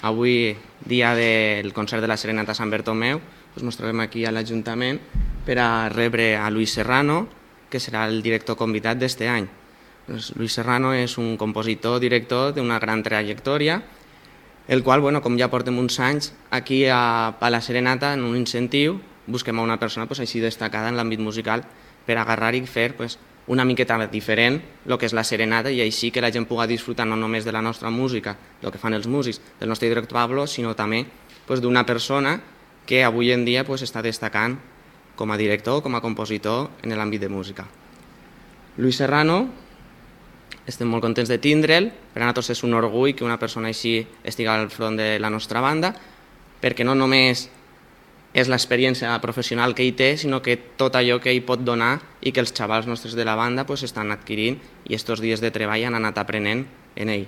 avui, dia del concert de la Serenata Sant Bertomeu, ens trobem aquí a l'Ajuntament per a rebre a Luis Serrano, que serà el director convidat d'este any. Luis Serrano és un compositor, director d'una gran trajectòria, el qual, com ja portem uns anys, aquí a la Serenata, en un incentiu, busquem a una persona així destacada en l'àmbit musical per agarrar i fer una miqueta diferent el que és la Serenata i així que la gent pugui disfrutar no només de la nostra música, el que fan els músics, del nostre director Pablo, sinó també d'una persona que avui en dia està destacant com a director, com a compositor en l'àmbit de música. Luis Serrano, estem molt contents de tindre'l, per a nosaltres és un orgull que una persona així estigui al front de la nostra banda, perquè no només és l'experiència professional que ell té, sinó que tot allò que ell pot donar i que els xavals nostres de la banda estan adquirint i aquests dies de treball han anat aprenent en ell.